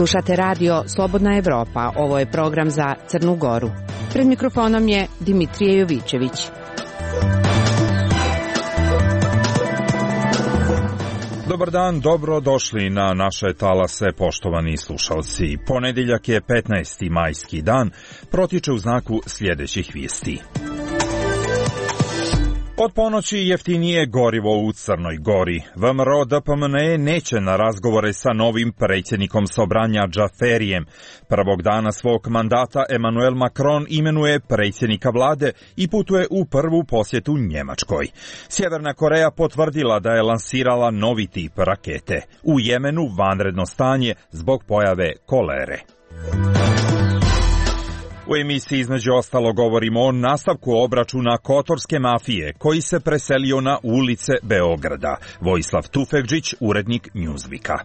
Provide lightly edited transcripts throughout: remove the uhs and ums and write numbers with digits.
Slušate radio Slobodna Evropa. Ovo je program za Crnu Goru. Pred mikrofonom je Dimitrije Jovićević. Dobar dan, dobro došli na naše talase, poštovani slušalci. Ponedeljak je 15. majski dan, protiče u znaku sljedećih vijesti. Od ponoći jeftinije gorivo u Crnoj Gori. VMRO DPMNE neće na razgovore sa novim predsjednikom Sobranja Džaferijem. Prvog dana svog mandata Emmanuel Macron imenuje predsjednika vlade i putuje u prvu posjetu Njemačkoj. Sjeverna Koreja potvrdila da je lansirala novi tip rakete. U Jemenu vanredno stanje zbog pojave kolere. U emisiji između ostalo govorimo o nastavku obračuna kotorske mafije koji se preselio na ulice Beograda. Vojislav Tufekđić, urednik Newsweeka.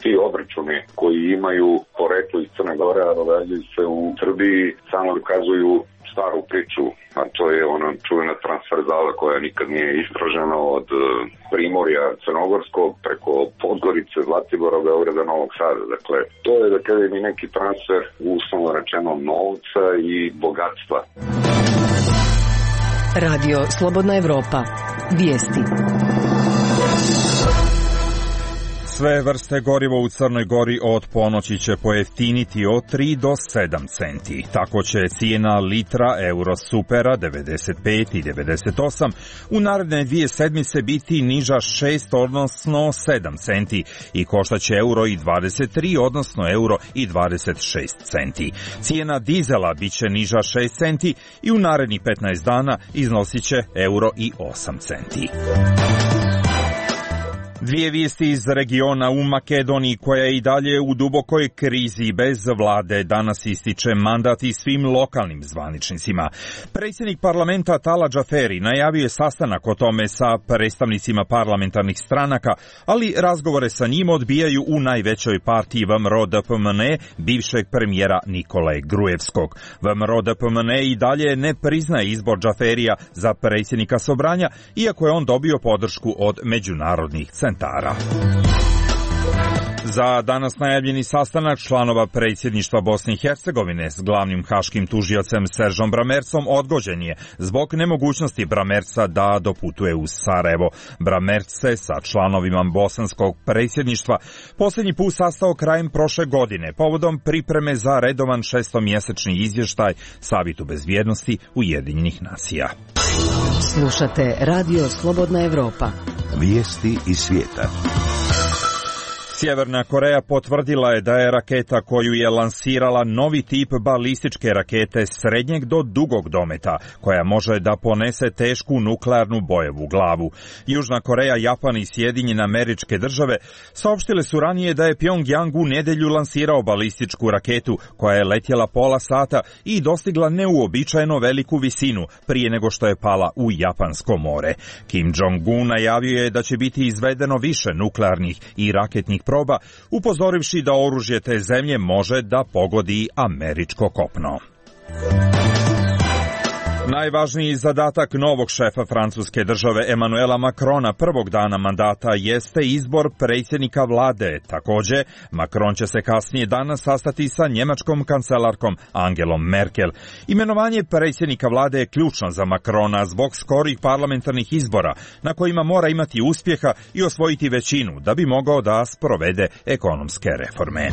Ti obračuni koji imaju poreklo iz Crne Gore, a događaju se u Srbiji, samo dokazuju staru priču, a to je ona čuvena transverzala koja nikad nije istražena od Primorja Crnogorskog preko Podgorice, Zlatibora, Beograda, Novog Sada. Dakle, to je da kažem i neki transfer uslovno rečeno novca i bogatstva. Radio Slobodna Evropa. Vijesti. Sve vrste goriva u Crnoj Gori od ponoći će pojeftiniti od 3 do 7 centi. Tako će cijena litra Eurosupera 95 i 98 u naredne 2 sedmice biti niža 6 odnosno 7 centi i koštaće euro i 23 odnosno euro i 26 centi. Cijena dizela bit će niža 6 centi i u narednih 15 dana iznosit će euro i 8 centi. Dvije vijesti iz regiona. U Makedoniji, koja je i dalje u dubokoj krizi bez vlade, danas ističe mandat i svim lokalnim zvaničnicima. Predsjednik parlamenta Tala Džaferi najavio je sastanak o tome sa predstavnicima parlamentarnih stranaka, ali razgovore sa njim odbijaju u najvećoj partiji VMRO DPMNE bivšeg premijera Nikole Grujevskog. VMRO DPMNE i dalje ne priznaje izbor Džaferija za predsjednika Sobranja, iako je on dobio podršku od međunarodnih centara. Za danas najavljeni sastanak članova predsjedništva Bosne i Hercegovine s glavnim haškim tužiocem Seržom Bramercom odgođen je zbog nemogućnosti Bramerca da doputuje u Sarajevo. Bramerc se sa članovima bosanskog predsjedništva posljednji put sastao krajem prošle godine povodom pripreme za redovan 6-mjesečni izvještaj Savetu bezbjednosti Ujedinjenih nacija. Slušate Radio Slobodna Evropa. Vijesti iz svijeta. Sjeverna Koreja potvrdila je da je raketa koju je lansirala novi tip balističke rakete srednjeg do dugog dometa, koja može da ponese tešku nuklearnu bojevu glavu. Južna Koreja, Japan i Sjedinjene Američke Države saopštile su ranije da je Pjongjang u nedjelju lansirao balističku raketu koja je letjela pola sata i dostigla neuobičajeno veliku visinu prije nego što je pala u Japansko more. Kim Jong-un najavio je da će biti izvedeno više nuklearnih i raketnih proba, upozorivši da oružje te zemlje može da pogodi američko kopno. Najvažniji zadatak novog šefa francuske države Emmanuela Macrona prvog dana mandata jeste izbor predsjednika vlade. Također, Macron će se kasnije danas sastati sa njemačkom kancelarkom Angelom Merkel. Imenovanje predsjednika vlade je ključno za Macrona zbog skorih parlamentarnih izbora, na kojima mora imati uspjeha i osvojiti većinu da bi mogao da sprovede ekonomske reforme.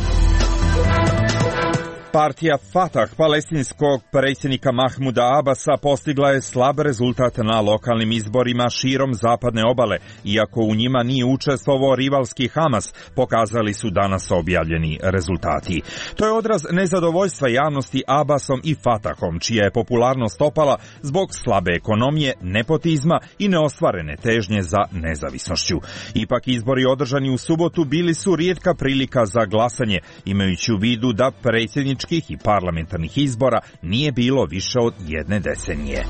Partija Fatah palestinskog predsjednika Mahmuda Abasa postigla je slab rezultat na lokalnim izborima širom zapadne obale, iako u njima nije učestvovao rivalski Hamas, pokazali su danas objavljeni rezultati. To je odraz nezadovoljstva javnosti Abasom i Fatahom, čija je popularnost opala zbog slabe ekonomije, nepotizma i neostvarene težnje za nezavisnošću. Ipak izbori održani u subotu bili su rijetka prilika za glasanje, imajući u vidu da predsjednički i parlamentarnih izbora nije bilo više od 1 decenije.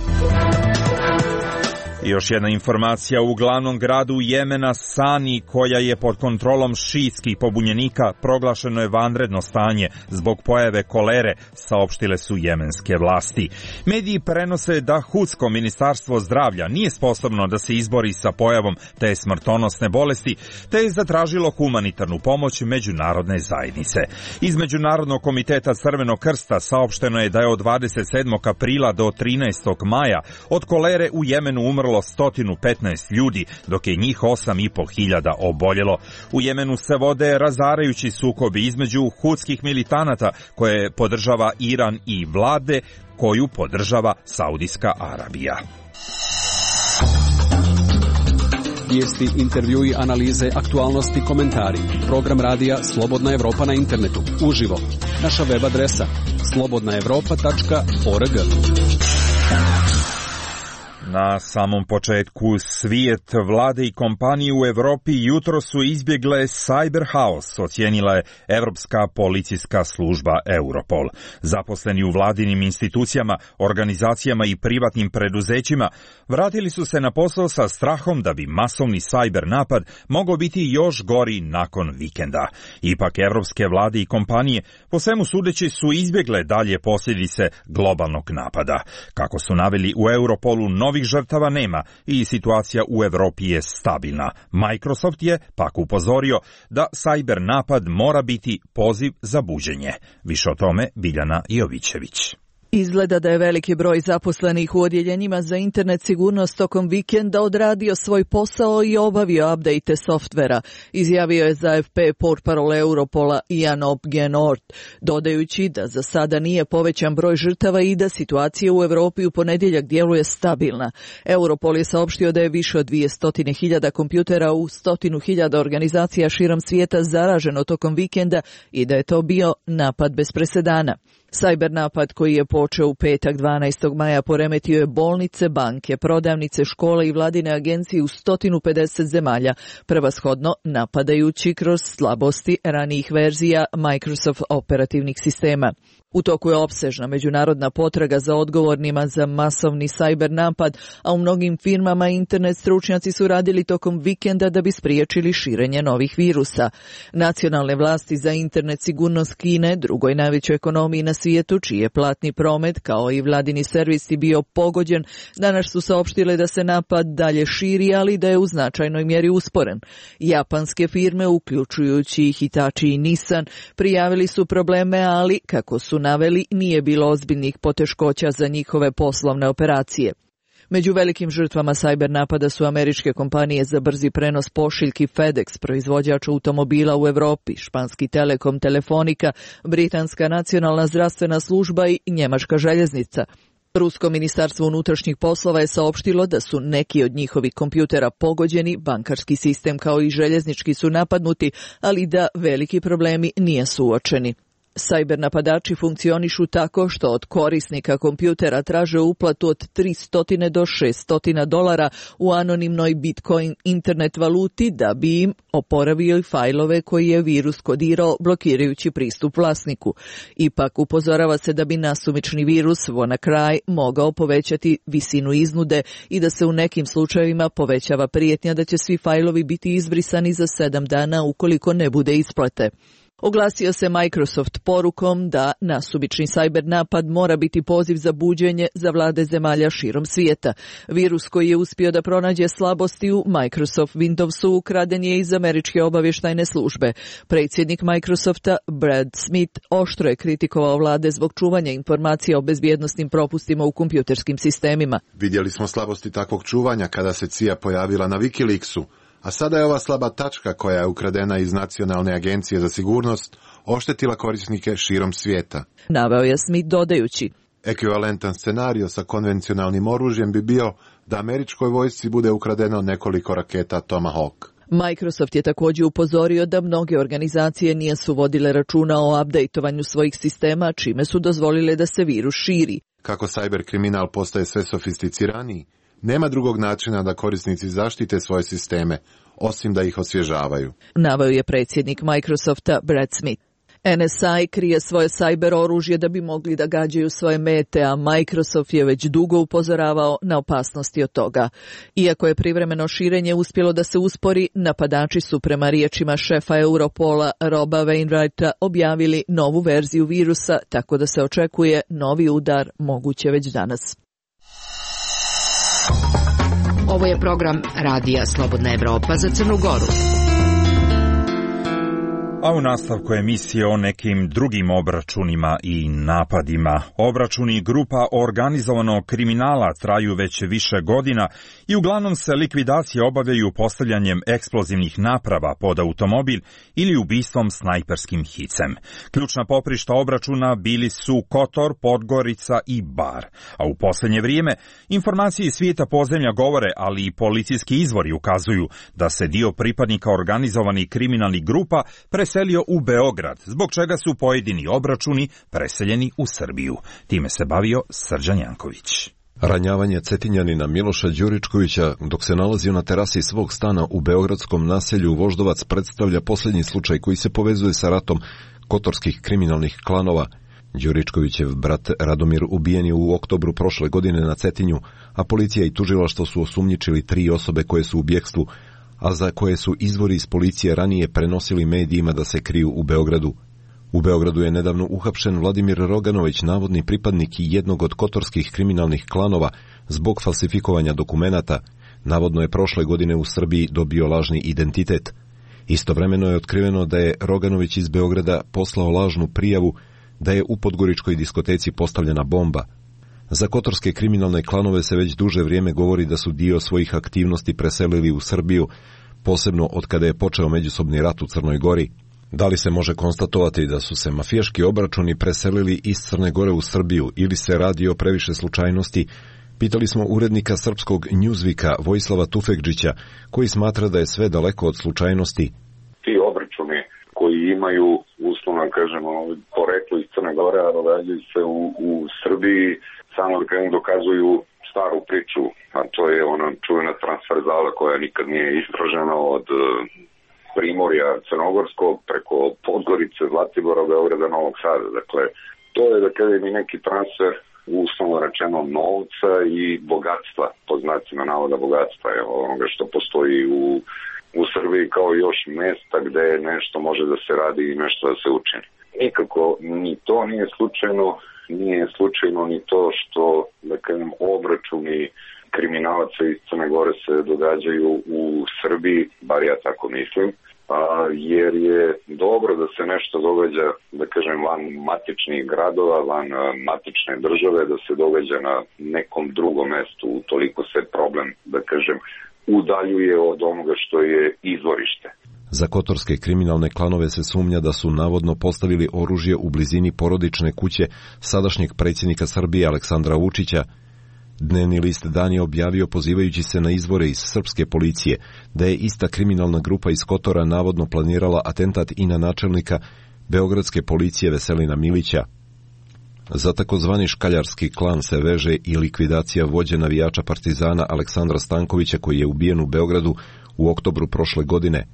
I još jedna informacija, u glavnom gradu Jemena Sani, koja je pod kontrolom šijskih pobunjenika, proglašeno je vanredno stanje zbog pojave kolere, saopštile su jemenske vlasti. Mediji prenose da Hudsko ministarstvo zdravlja nije sposobno da se izbori sa pojavom te smrtonosne bolesti, te je zatražilo humanitarnu pomoć međunarodne zajednice. Iz Međunarodnog komiteta Crvenog krsta saopšteno je da je od 27. aprila do 13. maja od kolere u Jemenu umrlo 115 ljudi, dok je njih 8.500 oboljelo. U Jemenu se vode razarajući sukobi između hudskih militanata koje podržava Iran i vlade koju podržava Saudijska Arabija. Vijesti, intervjui, analize, aktualnosti, komentari. Program radija Slobodna Evropa na internetu. Uživo. Naša web adresa slobodnaevropa.org. Na samom početku, svijet, vlade i kompanije u Evropi jutro su izbjegle cyber haos, ocijenila je Evropska policijska služba Europol. Zaposleni u vladinim institucijama, organizacijama i privatnim preduzećima vratili su se na posao sa strahom da bi masovni cyber napad mogao biti još gori nakon vikenda. Ipak evropske vlade i kompanije po svemu sudeći su izbjegle dalje posljedice globalnog napada. Kako su naveli u Europolu, novih žrtava nema i situacija u Evropi je stabilna. Microsoft je pak upozorio da cyber napad mora biti poziv za buđenje. Više o tome Biljana Jovićević. Izgleda da je veliki broj zaposlenih u odjeljenjima za internet sigurnost tokom vikenda odradio svoj posao i obavio update softvera, izjavio je za AFP portparol Europola Ian Opgenord, dodajući da za sada nije povećan broj žrtava i da situacija u Europi u ponedjeljak djeluje stabilna. Europol je saopštio da je više od 200.000 kompjutera u 100.000 organizacija širom svijeta zaraženo tokom vikenda i da je to bio napad bez presedana. Cyber napad koji je počeo u petak 12. maja poremetio je bolnice, banke, prodavnice, škole i vladine agencije u 150 zemalja, prevashodno napadajući kroz slabosti ranijih verzija Microsoft operativnih sistema. U toku je opsežna međunarodna potraga za odgovornima za masovni cyber napad, a u mnogim firmama internet stručnjaci su radili tokom vikenda da bi spriječili širenje novih virusa. Nacionalne vlasti za internet sigurnost Kine, drugoj najvećoj ekonomiji na svijetu, čiji je platni promet kao i vladini servisi bio pogođen, danas su saopštile da se napad dalje širi, ali da je u značajnoj mjeri usporen. Japanske firme, uključujući Hitachi i Nissan, prijavili su probleme, ali, kako su naveli, nije bilo ozbiljnih poteškoća za njihove poslovne operacije. Među velikim žrtvama cyber napada su američke kompanije za brzi prenos pošiljki FedEx, proizvođač automobila u Europi, španski Telekom, Telefonika, britanska nacionalna zdravstvena služba i njemačka željeznica. Rusko ministarstvo unutrašnjih poslova je saopštilo da su neki od njihovih kompjutera pogođeni, bankarski sistem kao i željeznički su napadnuti, ali da veliki problemi nisu uočeni. Cyber napadači funkcionišu tako što od korisnika kompjutera traže uplatu od $300 do $600 u anonimnoj Bitcoin internet valuti da bi im oporavio fajlove koji je virus kodirao blokirajući pristup vlasniku. Ipak upozorava se da bi nasumični virus WannaCry mogao povećati visinu iznude i da se u nekim slučajevima povećava prijetnja da će svi fajlovi biti izbrisani za 7 dana ukoliko ne bude isplate. Oglasio se Microsoft porukom da nasumični cyber napad mora biti poziv za buđenje za vlade zemalja širom svijeta. Virus koji je uspio da pronađe slabosti u Microsoft Windowsu ukraden je iz američke obavještajne službe. Predsjednik Microsofta Brad Smith oštro je kritikovao vlade zbog čuvanja informacija o bezbjednosnim propustima u kompjuterskim sistemima. Vidjeli smo slabosti takvog čuvanja kada se CIA pojavila na Wikileaksu. A sada je ova slaba tačka koja je ukradena iz Nacionalne agencije za sigurnost oštetila korisnike širom svijeta. Naveo je Smith dodajući: Ekvivalentan scenario sa konvencionalnim oružjem bi bio da američkoj vojsci bude ukradeno nekoliko raketa Tomahawk. Microsoft je također upozorio da mnoge organizacije nisu vodile računa o updateovanju svojih sistema, čime su dozvolile da se virus širi. Kako cyber kriminal postaje sve sofisticiraniji, nema drugog načina da korisnici zaštite svoje sisteme, osim da ih osvježavaju. Naveo je predsjednik Microsofta Brad Smith. NSA krije svoje sajber oružje da bi mogli da gađaju svoje mete, a Microsoft je već dugo upozoravao na opasnosti od toga. Iako je privremeno širenje uspjelo da se uspori, napadači su prema riječima šefa Europola Roba Wainwrighta objavili novu verziju virusa, tako da se očekuje novi udar, moguće već danas. Ovo je program Radija Slobodna Evropa za Crnu Goru. A u nastavku emisije o nekim drugim obračunima i napadima. Obračuni grupa organizovanog kriminala traju već više godina i uglavnom se likvidacije obavljaju postavljanjem eksplozivnih naprava pod automobil ili ubistvom snajperskim hicem. Ključna poprišta obračuna bili su Kotor, Podgorica i Bar. A u posljednje vrijeme informacije iz svijeta podzemlja govore, ali i policijski izvori ukazuju da se dio pripadnika organizovanih kriminalnih grupa preselio u Beograd, zbog čega su pojedini obračuni preseljeni u Srbiju. Time se bavio Srđan Janković. Ranjavanje Cetinjanina Miloša Đuričkovića dok se nalazio na terasi svog stana u beogradskom naselju Voždovac predstavlja posljednji slučaj koji se povezuje sa ratom kotorskih kriminalnih klanova. Đuričkovićev brat Radomir ubijen je u oktobru prošle godine na Cetinju, a policija i tužilaštvo su osumnjičili 3 osobe koje su u bjekstvu, a za koje su izvori iz policije ranije prenosili medijima da se kriju u Beogradu. U Beogradu je nedavno uhapšen Vladimir Roganović, navodni pripadnik jednog od kotorskih kriminalnih klanova, zbog falsifikovanja dokumenata. Navodno je prošle godine u Srbiji dobio lažni identitet. Istovremeno je otkriveno da je Roganović iz Beograda poslao lažnu prijavu da je u podgoričkoj diskoteci postavljena bomba. Za kotorske kriminalne klanove se već duže vrijeme govori da su dio svojih aktivnosti preselili u Srbiju, posebno od kada je počeo međusobni rat u Crnoj Gori. Da li se može konstatovati da su se mafijaški obračuni preselili iz Crne Gore u Srbiju ili se radi o previše slučajnosti? Pitali smo urednika srpskog Newsweeka Vojislava Tufekdžića, koji smatra da je sve daleko od slučajnosti. Ti obračuni koji imaju, uslovno kažemo, poreklo iz Crne Gore, a događaju se u Srbiji, samo da dokazuju staru priču, a to je ona čuvena transverzala koja nikad nije istražena od Primorja Crnogorskog preko Podgorice, Zlatibora, Beograda, Novog Sada. Dakle, to je da kada je neki transfer uslovno rečeno novca i bogatstva, po znacima navoda bogatstva, onoga što postoji u Srbiji kao još mjesta gde nešto može da se radi i nešto da se učini. Nikako ni to nije slučajno ni to što, da kažem, obračuni kriminalaca iz Crne Gore se događaju u Srbiji, bar ja tako mislim, jer je dobro da se nešto događa, da kažem, van matičnih gradova, van matične države, da se događa na nekom drugom mestu, toliko se problem, da kažem, udaljuje od onoga što je izvorište. Za kotorske kriminalne klanove se sumnja da su navodno postavili oružje u blizini porodične kuće sadašnjeg predsjednika Srbije Aleksandra Vučića. Dnevni list Dan je objavio, pozivajući se na izvore iz srpske policije, da je ista kriminalna grupa iz Kotora navodno planirala atentat i na načelnika beogradske policije Veselina Milića. Za takozvani škaljarski klan se veže i likvidacija vođe navijača Partizana Aleksandra Stankovića, koji je ubijen u Beogradu u oktobru prošle godine.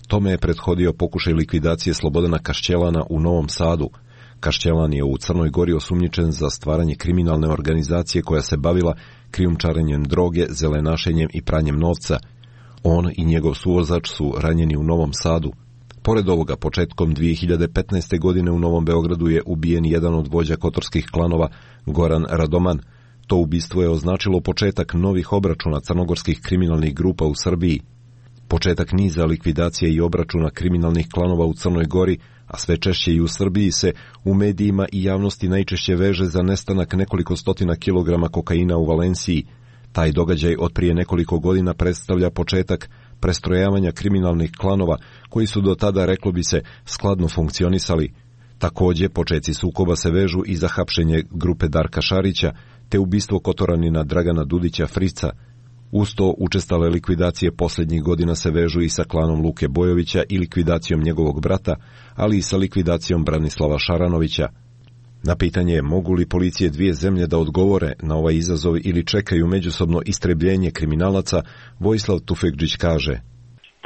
Tome je prethodio pokušaj likvidacije Slobodana Kašćelana u Novom Sadu. Kašćelan je u Crnoj Gori osumnjičen za stvaranje kriminalne organizacije koja se bavila krijumčarenjem droge, zelenašenjem i pranjem novca. On i njegov suvozač su ranjeni u Novom Sadu. Pored ovoga, početkom 2015. godine u Novom Beogradu je ubijen jedan od vođa kotorskih klanova, Goran Radoman. To ubistvo je označilo početak novih obračuna crnogorskih kriminalnih grupa u Srbiji. Početak niza likvidacije i obračuna kriminalnih klanova u Crnoj Gori, a sve češće i u Srbiji, se u medijima i javnosti najčešće veže za nestanak nekoliko stotina kilograma kokaina u Valenciji. Taj događaj od prije nekoliko godina predstavlja početak prestrojavanja kriminalnih klanova koji su do tada, reklo bi se, skladno funkcionisali. Također, počeci sukoba se vežu i za hapšenje grupe Darka Šarića, te ubistvo Kotoranina Dragana Dudića Frica. Uz to, učestale likvidacije posljednjih godina se vežu i sa klanom Luke Bojovića i likvidacijom njegovog brata, ali i sa likvidacijom Branislava Šaranovića. Na pitanje mogu li policije dvije zemlje da odgovore na ovaj izazov ili čekaju međusobno istrebljenje kriminalaca, Vojislav Tufekdžić kaže: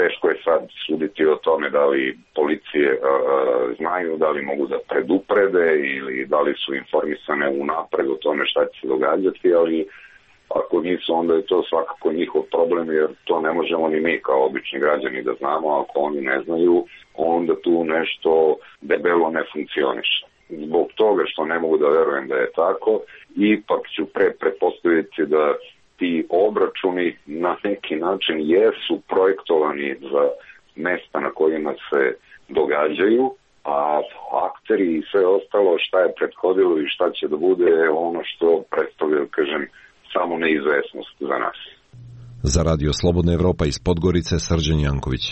Teško je sad suditi o tome da li policije znaju, da li mogu da preduprede ili da li su informisane unapred o tome šta će se događati, ali ako nisu, onda je to svakako njihov problem, jer to ne možemo ni mi kao obični građani da znamo. Ako oni ne znaju, onda tu nešto debelo ne funkcioniše. Zbog toga što ne mogu da verujem da je tako, ipak ću pretpostaviti da ti obračuni na neki način jesu projektovani za mesta na kojima se događaju, a akteri i sve ostalo šta je prethodilo i šta će da bude ono što predstavlja, kažem, samo neizvesnost za nas. Za Radio Slobodna Evropa iz Podgorice, Srđan Janković.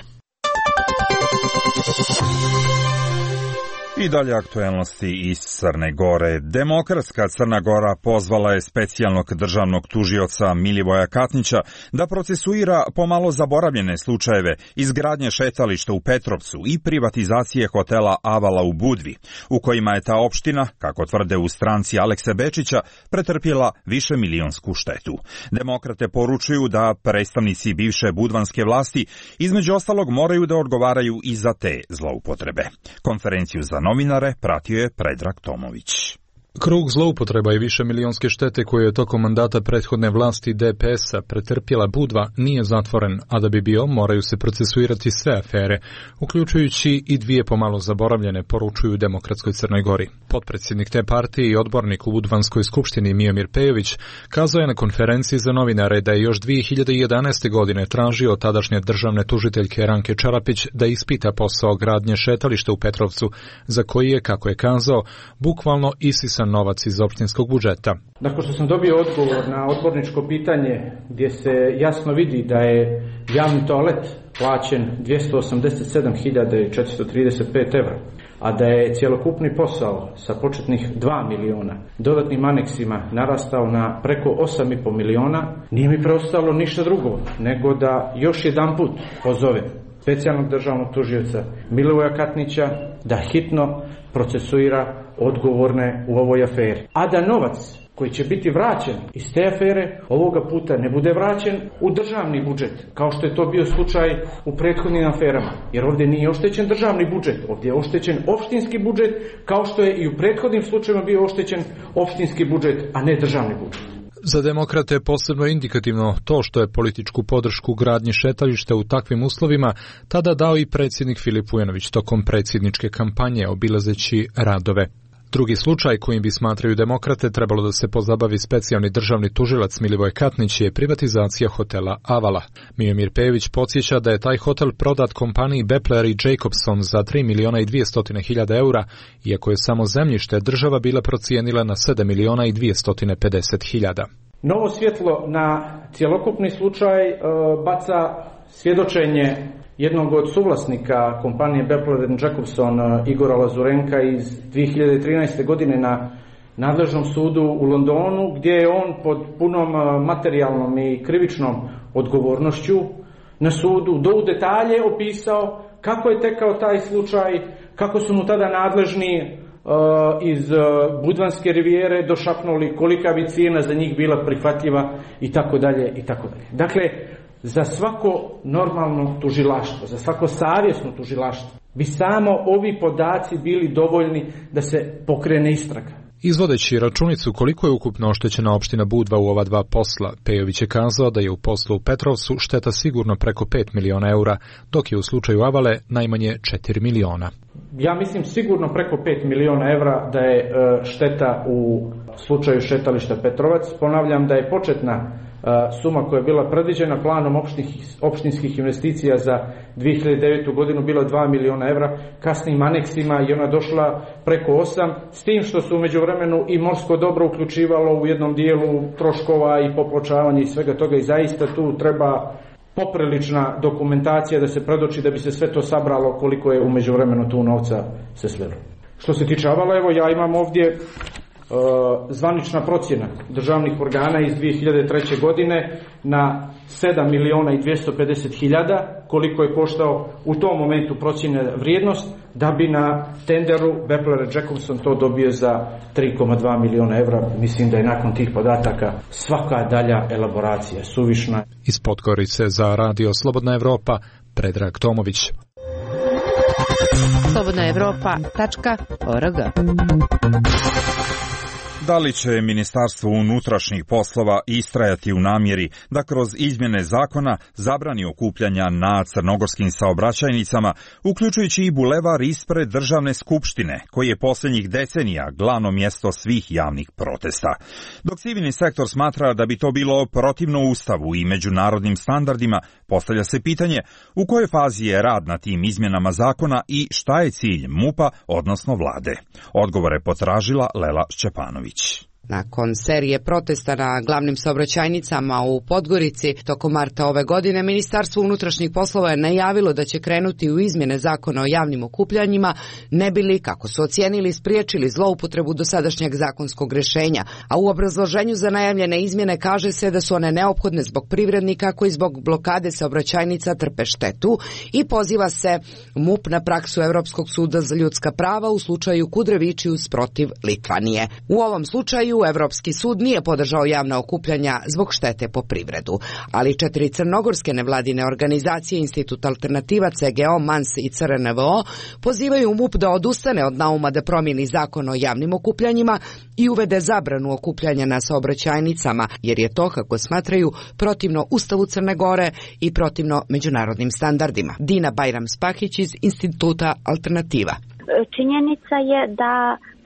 I dalje aktuelnosti iz Crne Gore. Demokratska Crna Gora pozvala je specijalnog državnog tužioca Milivoja Katnića da procesuira pomalo zaboravljene slučajeve izgradnje šetališta u Petrovcu i privatizacije hotela Avala u Budvi, u kojima je ta opština, kako tvrde u stranci Alekse Bečića, pretrpjela višemilionsku štetu. Demokrate poručuju da predstavnici bivše budvanske vlasti između ostalog moraju da odgovaraju i za te zloupotrebe. Konferenciju za novinare pratio je Predrag Tomović. Krug zloupotreba i višemilionske štete koje je tokom mandata prethodne vlasti DPS-a pretrpjela Budva nije zatvoren, a da bi bio moraju se procesuirati sve afere, uključujući i dvije pomalo zaboravljene, poručuju Demokratskoj Crnoj Gori. Potpredsjednik te partije i odbornik u Budvanskoj skupštini Miomir Pejović kazao je na konferenciji za novinare da je još 2011. godine tražio od tadašnje državne tužiteljke Ranke Čarapić da ispita posao gradnje šetališta u Petrovcu, za koji je, kako je kazao, bukvalno isisan novac iz opštinskog budžeta. Nakon što sam dobio odgovor na odborničko pitanje gdje se jasno vidi da je javni toalet plaćen 287.435 evra, a da je cjelokupni posao sa početnih 2 miliona dodatnim aneksima narastao na preko 8,5 miliona, nije mi preostalo ništa drugo nego da još jedanput pozovem specijalnog državnog tužioca Milivoja Katnića da hitno procesuira odgovorne u ovoj aferi. A da novac koji će biti vraćen iz te afere ovoga puta ne bude vraćen u državni budžet, kao što je to bio slučaj u prethodnim aferama. Jer ovdje nije oštećen državni budžet, ovdje je oštećen opštinski budžet, kao što je i u prethodnim slučajevima bio oštećen opštinski budžet, a ne državni budžet. Za demokrate je posebno indikativno to što je političku podršku gradnji šetališta u takvim uslovima tada dao i predsjednik Filip Vujanović tokom predsjedničke kampanje obilazeći radove. Drugi slučaj kojim bi, smatraju demokrate, trebalo da se pozabavi specijalni državni tužilac Milivoj Katnić je privatizacija hotela Avala. Miomir Pejović podsjeća da je taj hotel prodat kompaniji Bepler i Jacobson za 3.200.000 eura, iako je samo zemljište država bila procijenila na 7.250.000. Novo svjetlo na cjelokupni slučaj baca svjedočenje jednog od suvlasnika kompanije Bepler & Jacobson, Igora Lazurenka, iz 2013. godine na nadležnom sudu u Londonu, gdje je on pod punom materijalnom i krivičnom odgovornošću na sudu do u detalje opisao kako je tekao taj slučaj, kako su mu tada nadležni iz Budvanske rivijere došapnuli kolika bi cijena za njih bila prihvatljiva i tako dalje i tako dalje. Dakle, za svako normalno tužilaštvo, za svako savjesno tužilaštvo bi samo ovi podaci bili dovoljni da se pokrene istraga. Izvodeći računicu koliko je ukupno oštećena opština Budva u ova dva posla, Pejović je kazao da je u poslu u Petrovcu šteta sigurno preko 5 miliona eura, dok je u slučaju Avale najmanje 4 miliona. Ja mislim sigurno preko 5 miliona evra da je šteta u slučaju šetališta Petrovac. Ponavljam da je početna suma koja je bila predviđena planom opštinskih investicija za 2009. godinu bila 2 miliona evra, kasnim aneksima i ona došla preko 8, s tim što su u međuvremenu i morsko dobro uključivalo u jednom dijelu troškova i popločavanje i svega toga, i zaista tu treba poprilična dokumentacija da se predoči da bi se sve to sabralo koliko je u međuvremenu tu novca se slilo. Što se tiče Avala, evo ja imam ovdje zvanična procjena državnih organa iz 2003. godine na 7.250.000 koliko je koštao u tom momentu procjena vrijednost, da bi na tenderu Bepler & Jacobson to dobio za 3,2 miliona evra. Mislim da je nakon tih podataka svaka dalja elaboracija suvišna. Iz Podgorice za Radio Slobodna Evropa, Predrag Tomović. slobodnaevropa.org. Da li će Ministarstvo unutrašnjih poslova istrajati u namjeri da kroz izmjene zakona zabrani okupljanja na crnogorskim saobraćajnicama, uključujući i bulevar ispred Državne skupštine, koji je posljednjih decenija glavno mjesto svih javnih protesta? Dok civilni sektor smatra da bi to bilo protivno Ustavu i međunarodnim standardima, postavlja se pitanje u kojoj fazi je rad na tim izmjenama zakona i šta je cilj MUP-a, odnosno vlade. Odgovore potražila Lela Šćepanović. Nakon serije protesta na glavnim saobraćajnicama u Podgorici tokom marta ove godine, Ministarstvo unutrašnjih poslova je najavilo da će krenuti u izmjene zakona o javnim okupljanjima, ne bi li, kako su ocijenili, spriječili zloupotrebu dosadašnjeg zakonskog rješenja, a u obrazloženju za najavljene izmjene kaže se da su one neophodne zbog privrednika koji zbog blokade saobraćajnica trpe štetu i poziva se MUP na praksu Europskog suda za ljudska prava u slučaju Kudrevičius protiv Litvanije. U ovom slučaju Europski sud nije podržao javna okupljanja zbog štete po privredu, ali 4 crnogorske nevladine organizacije, Institut Alternativa, CGO, MANS i CRNVO pozivaju MUP da odustane od nauma da promijeni zakon o javnim okupljanjima i uvede zabranu okupljanja na saobraćajnicama, jer je to, kako smatraju, protivno Ustavu Crne Gore i protivno međunarodnim standardima. Dina Bajram-Spahić iz Instituta Alternativa. Činjenica je da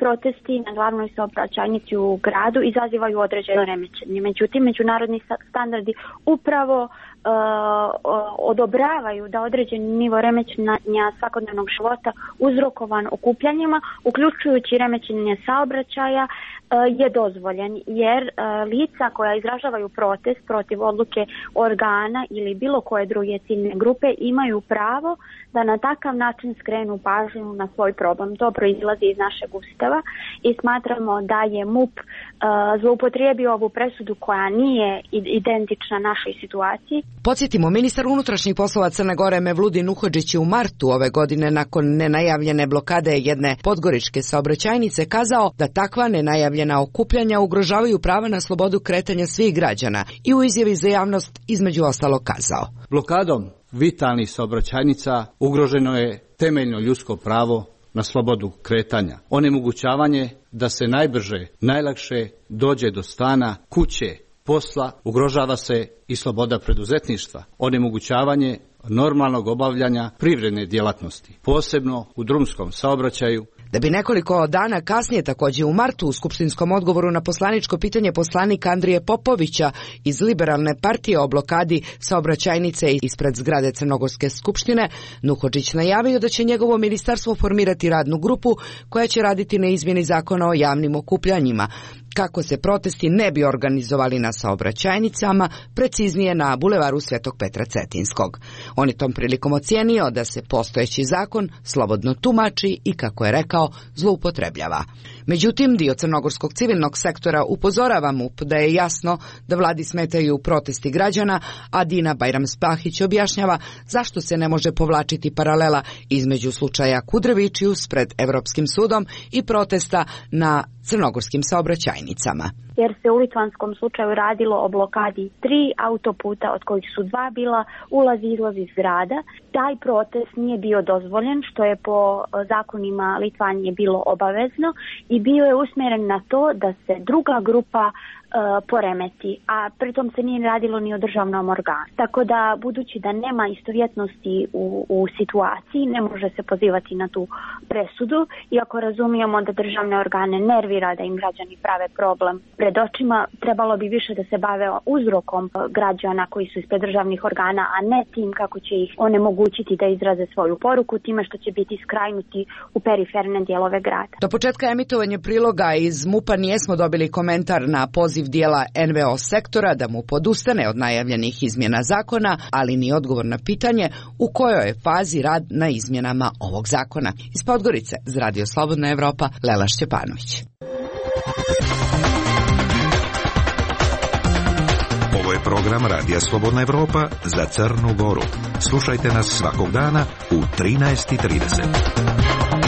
protesti na glavnoj saobraćajnici u gradu izazivaju određeno remećenje. Međutim, međunarodni standardi upravo odobravaju da određeni nivo remećenja svakodnevnog života uzrokovan okupljanjima, uključujući remećenje saobraćaja, je dozvoljen, jer lica koja izražavaju protest protiv odluke organa ili bilo koje druge ciljne grupe imaju pravo da na takav način skrenu pažnju na svoj problem. To proizlazi iz našeg Ustava i smatramo da je MUP zloupotrijebio ovu presudu koja nije identična našoj situaciji. Podsjetimo, ministar unutrašnjih poslova Crne Gore Mevludin Nuhodžić je u martu ove godine nakon nenajavljene blokade jedne podgoričke saobraćajnice kazao da takva nenajavljena okupljanja ugrožavaju prava na slobodu kretanja svih građana i u izjavi za javnost između ostalog kazao: blokadom vitalnih saobraćajnica ugroženo je temeljno ljudsko pravo na slobodu kretanja. Onemogućavanje da se najbrže, najlakše dođe do stana, kuće, posla, ugrožava se i sloboda preduzetništva. Onemogućavanje normalnog obavljanja privredne djelatnosti, posebno u drumskom saobraćaju. Da bi nekoliko dana kasnije, također u martu, u skupštinskom odgovoru na poslaničko pitanje poslanika Andrije Popovića iz Liberalne partije o blokadi saobraćajnice ispred zgrade Crnogorske skupštine, Nuhodžić najavio da će njegovo ministarstvo formirati radnu grupu koja će raditi na izmjeni zakona o javnim okupljanjima, kako se protesti ne bi organizovali na saobraćajnicama, preciznije na bulevaru Svetog Petra Cetinskog. On je tom prilikom ocijenio da se postojeći zakon slobodno tumači i, kako je rekao, zloupotrebljava. Međutim, dio crnogorskog civilnog sektora upozorava MUP da je jasno da vladi smetaju protesti građana, a Dina Bajram-Spahić objašnjava zašto se ne može povlačiti paralela između slučaja Kudrevičius pred Europskim sudom i protesta na crnogorskim saobraćajnicama. Jer se u litvanskom slučaju radilo o blokadi 3 autoputa, od kojih su 2 bila ulaz i izlaz iz grada. Taj protest nije bio dozvoljen, što je po zakonima Litvanije bilo obavezno, i bio je usmjeren na to da se druga grupa poremeti, a pritom se nije radilo ni o državnom organu. Tako da, budući da nema istovjetnosti u situaciji, ne može se pozivati na tu presudu, iako razumijemo da državne organe nervira da im građani prave problem pred očima, trebalo bi više da se bave uzrokom građana koji su ispred državnih organa, a ne tim kako će ih onemogućiti da izraze svoju poruku, time što će biti skrajnuti u periferne dijelove grada. Do početka emitovanja priloga iz MUP-a nijesmo dobili komentar na poziv dijela NVO sektora da mu podustane od najavljenih izmjena zakona, ali ni odgovor na pitanje u kojoj je fazi rad na izmjenama ovog zakona. Iz Podgorice, za Radio Slobodna Evropa, Lela Šćepanović. Ovo je program Radija Slobodna Evropa za Crnu Goru. Slušajte nas svakog dana u 13:30.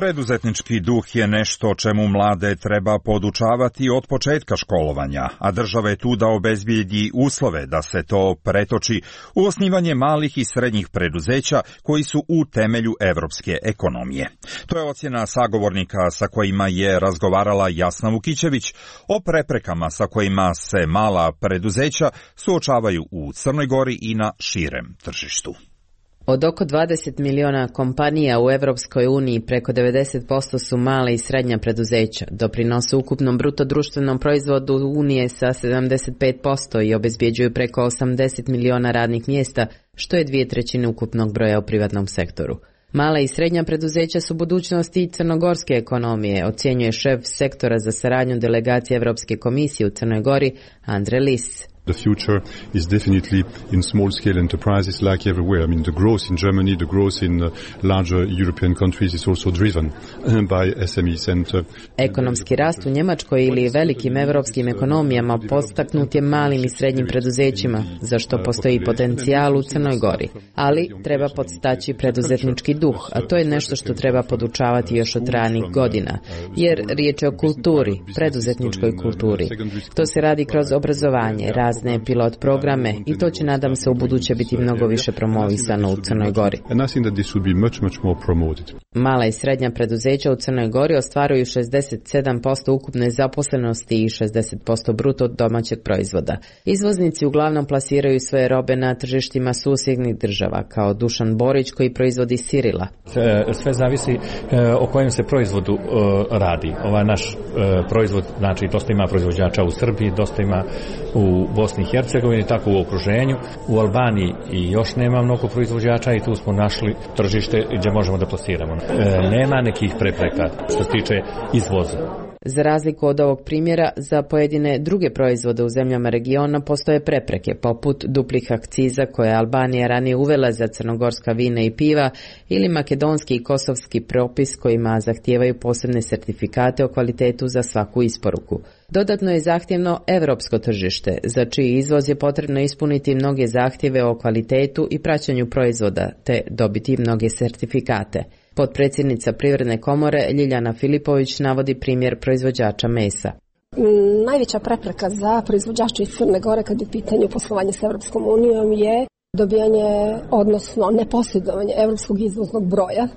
Preduzetnički duh je nešto čemu mlade treba podučavati od početka školovanja, a država je tu da obezbijedi uslove da se to pretoči u osnivanje malih i srednjih preduzeća koji su u temelju evropske ekonomije. To je ocjena sagovornika sa kojima je razgovarala Jasna Vukićević o preprekama sa kojima se mala preduzeća suočavaju u Crnoj Gori i na širem tržištu. Od oko 20 miliona kompanija u Evropskoj uniji preko 90% su male i srednja preduzeća, doprinose ukupnom bruto društvenom proizvodu Unije sa 75% i obezbjeđuju preko 80 miliona radnih mjesta, što je 2/3 ukupnog broja u privatnom sektoru. Mala i srednja preduzeća su budućnosti crnogorske ekonomije, ocjenjuje šef sektora za saradnju delegacije Evropske komisije u Crnoj Gori, Andre Lis. The future is definitely in small-scale enterprises like everywhere. I mean, the growth in Germany, the growth in larger European countries is also driven by SMEs. Ekonomski rast u Njemačkoj ili velikim evropskim ekonomijama podstaknut je malim i srednjim preduzećima, za što postoji potencijal u Crnoj Gori. Ali treba podstaći preduzetnički duh, a to je nešto što treba podučavati još od ranih godina, jer riječ je o kulturi, preduzetničkoj kulturi. To se radi kroz obrazovanje, razne pilot programe i to će, nadam se, u buduće biti mnogo više promovisano u Crnoj Gori. Mala i srednja preduzeća u Crnoj Gori ostvaruju 67% ukupne zaposlenosti i 60% bruto domaćeg proizvoda. Izvoznici uglavnom plasiraju svoje robe na tržištima susjednih država, kao Dušan Borić koji proizvodi sirila. Sve zavisi o kojem se proizvodu radi. Ovaj naš proizvod, znači dosta ima proizvođača u Srbiji, dosta ima u Bosni i Hercegovini, tako u okruženju. U Albaniji i još nema mnogo proizvođača i tu smo našli tržište gdje možemo da plasiramo. Nema nekih prepreka što se tiče izvoza. Za razliku od ovog primjera, za pojedine druge proizvode u zemljama regiona postoje prepreke, poput duplih akciza koje je Albanija ranije uvela za crnogorska vina i piva ili makedonski i kosovski propis kojima zahtijevaju posebne sertifikate o kvalitetu za svaku isporuku. Dodatno je zahtjevno europsko tržište, za čiji izvoz je potrebno ispuniti mnoge zahtjeve o kvalitetu i praćenju proizvoda, te dobiti mnoge sertifikate. Potpredsjednica Privredne komore Ljiljana Filipović navodi primjer proizvođača mesa. Najveća prepreka za proizvođače iz Crne Gore kad je u pitanju poslovanje s Evropskom unijom je dobijanje, odnosno neposjedovanje evropskog izvoznog broja,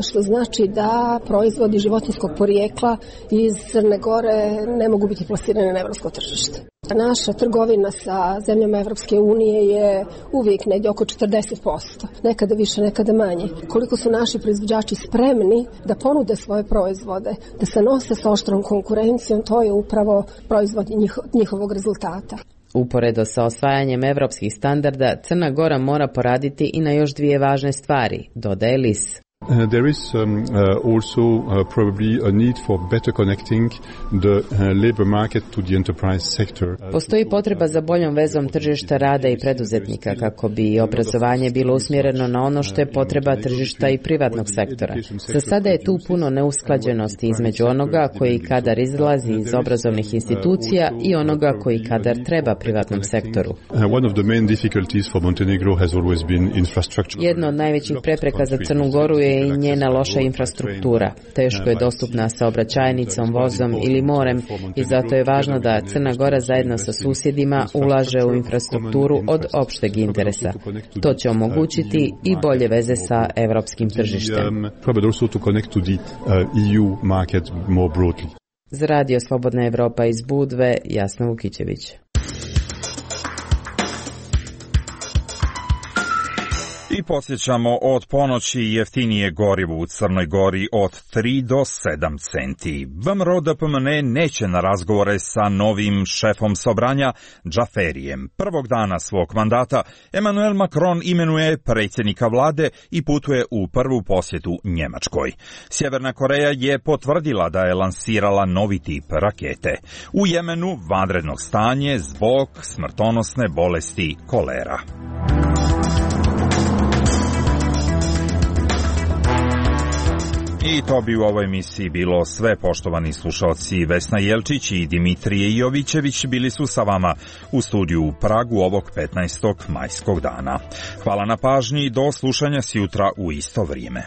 što znači da proizvodi životinjskog porijekla iz Crne Gore ne mogu biti plasirane na evropsko tržište. Naša trgovina sa zemljama Evropske unije je uvijek negdje oko 40%, nekada više, nekada manje. Koliko su naši proizvođači spremni da ponude svoje proizvode, da se nose sa oštrom konkurencijom, to je upravo proizvod njihovog rezultata. Uporedo sa osvajanjem evropskih standarda, Crna Gora mora poraditi i na još dvije važne stvari, dodaje Lis. There is also probably a need for better connecting the labor market to the enterprise sector. Postoji potreba za boljom vezom tržišta rada i preduzetnika kako bi obrazovanje bilo usmjereno na ono što je potreba tržišta i privatnog sektora. Za sada je tu puno neusklađenosti između onoga koji kadar izlazi iz obrazovnih institucija i onoga koji kadar treba privatnom sektoru. One of the main difficulties for Montenegro has always been infrastructure. Jedno od najvećih prepreka za Crnu Goru je i njena loša infrastruktura. Teško je dostupna saobraćajnicom, vozom ili morem i zato je važno da Crna Gora zajedno sa susjedima ulaže u infrastrukturu od opšteg interesa. To će omogućiti i bolje veze sa evropskim tržištem. Za Radio Slobodna Evropa iz Budve, Jasna Vukićević. I podsjećamo, od ponoći jeftinije gorivo u Crnoj Gori od 3 do 7 centi. VMRO DPMNE neće na razgovore sa novim šefom Sobranja, Džaferijem. Prvog dana svog mandata Emmanuel Macron imenuje predsjednika vlade i putuje u prvu posjetu Njemačkoj. Sjeverna Koreja je potvrdila da je lansirala novi tip rakete. U Jemenu vanredno stanje zbog smrtonosne bolesti kolera. I to bi u ovoj emisiji bilo sve, poštovani slušalci. Vesna Jelčić i Dimitrije Jovićević bili su sa vama u studiju u Pragu ovog 15. majskog dana. Hvala na pažnji i do slušanja sjutra u isto vrijeme.